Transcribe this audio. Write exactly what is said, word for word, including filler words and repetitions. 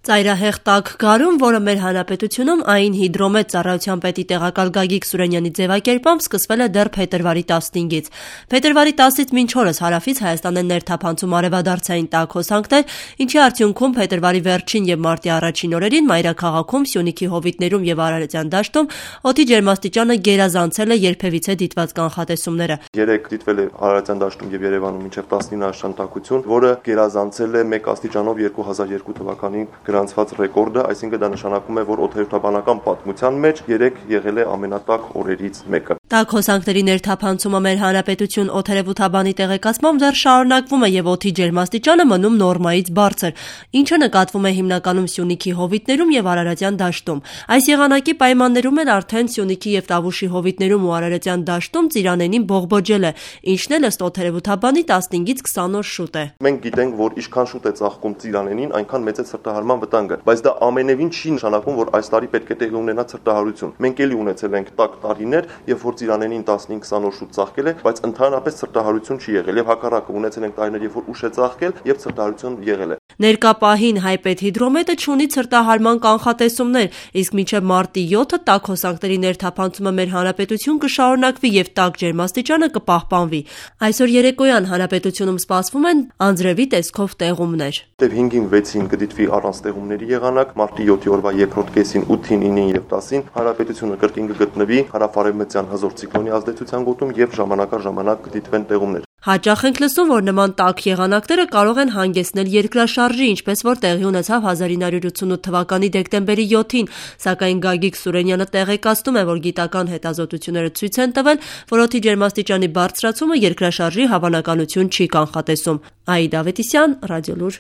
Ծայրահեղ տաք գարուն, որը մեր հանրապետությունում այն հիդրոմետ ծառայության պետի տեղակալ Գագիկ Սուրենյանի ձևակերպամբ սկսվել է դեռ փետրվարի տասնհինգից։ Փետրվարի տասից մինչ օրս հարավից Հայաստան են ներթափանցում արևադարձային տաք հոսանքներ, ինչի արդյունքում փետրվարի վերջին եւ մարտի առաջին օրերին մայրաքաղաքում, Սյունիքի հովիտներում եւ Արարատյան դաշտում օդի ջերմաստիճանը գերազանցել է երբևիցե դիտված կանխատեսումները։ Երեկ դիտվել է Արարատյան դաշտում եւ Երևանում մինչեւ տասնինը աստիճան տաքություն, որը գերազանցել է մեկ աստիճանով երկու հազար երկու թվականին գրանցված ռեկորդը, այսինքն դա նշանակում է, որ օդերևութաբանական պատմության մեջ երեք եղել է ամենատաք օրերից մեկը։ Տաք հոսանքների ներթափանցումը մեր հանրապետություն օդերևութաբանի տեղեկացմամբ դեռ շարունակվում է եւ օդի ջերմաստիճանը մնում նորմայից բարձր, ինչը նկատվում է հիմնականում Սյունիքի հովիտներում եւ Արարատյան դաշտում։ Այս եղանակի պայմաններում էլ արդեն Սյունիքի եւ Տավուշի հովիտներում ու Արարատյան դաշտում ծիրանենին բողբոջել է, ինչն էլ ըստ օդերևութաբանի տասնհինգից քսան օր շուտ է։ Մենք գիտենք, որ ինչքան շուտ է ծաղկում ծիրանենին, այնքան մեծ է ցրտահարման վտանգը, բայց դա ամենևին չի նշանակում, որ այս տարի պետք է տեղի ունենա ցրտահարություն։ Մենք էլի ունեցել ենք տաք տարիներ, երբ որ ծիրանենին տասնհինգ քսան օր շուտ ծաղկել է, բայց ընդհանրապես ցրտահարություն չի եղել եւ հակառակը ունեցել ենք տարիներ, երբ որ ուշ է ծաղկել եւ ցրտահարություն եղել է։ Ներկա պահին հայպեդհիդրոմետը չունի ցրտահարման կանխատեսումներ, իսկ մինչև մարտի յոթը տաք հոսանքների ներթափանցումը մեր հանրապետություն կշարունակվի եւ տաք ջերմաստիճանը կպահպանվի։ Այսօր երեկոյան հանրապետությունում սպասվում են անձրևի տեսքով տեղումներ։ Դեպ հինգին վեցին կդիտվի առանց տեղումների եղանակ, մարտի յոթի օրվա երկրորդ կեսին ութին, ինին եւ տասին հանրապետությունը կրկին կգտնվի հարավարևմտյան հզոր ցիկլոնի ազդեցության գոտում եւ ժամանակ առ ժամանակ կդիտվեն տեղումներ։ Հաճախ ենք լսում, որ նման տաք եղանակները կարող են հանգեցնել երկրաշարժի, ինչպես որ տեղի ունեցավ հազար ինը հարյուր ութսունութ թվականի դեկտեմբերի յոթին, սակայն Գագիկ Սուրենյանը տեղեկացնում է, որ գիտական հետազոտությունները ցույց են տվել, որ օդի ջերմաստիճանի բարձրացումը երկրաշարժի հավանականություն չի կանխատեսում։ Աիդա Ավետիսյան, Ռադիոլուր։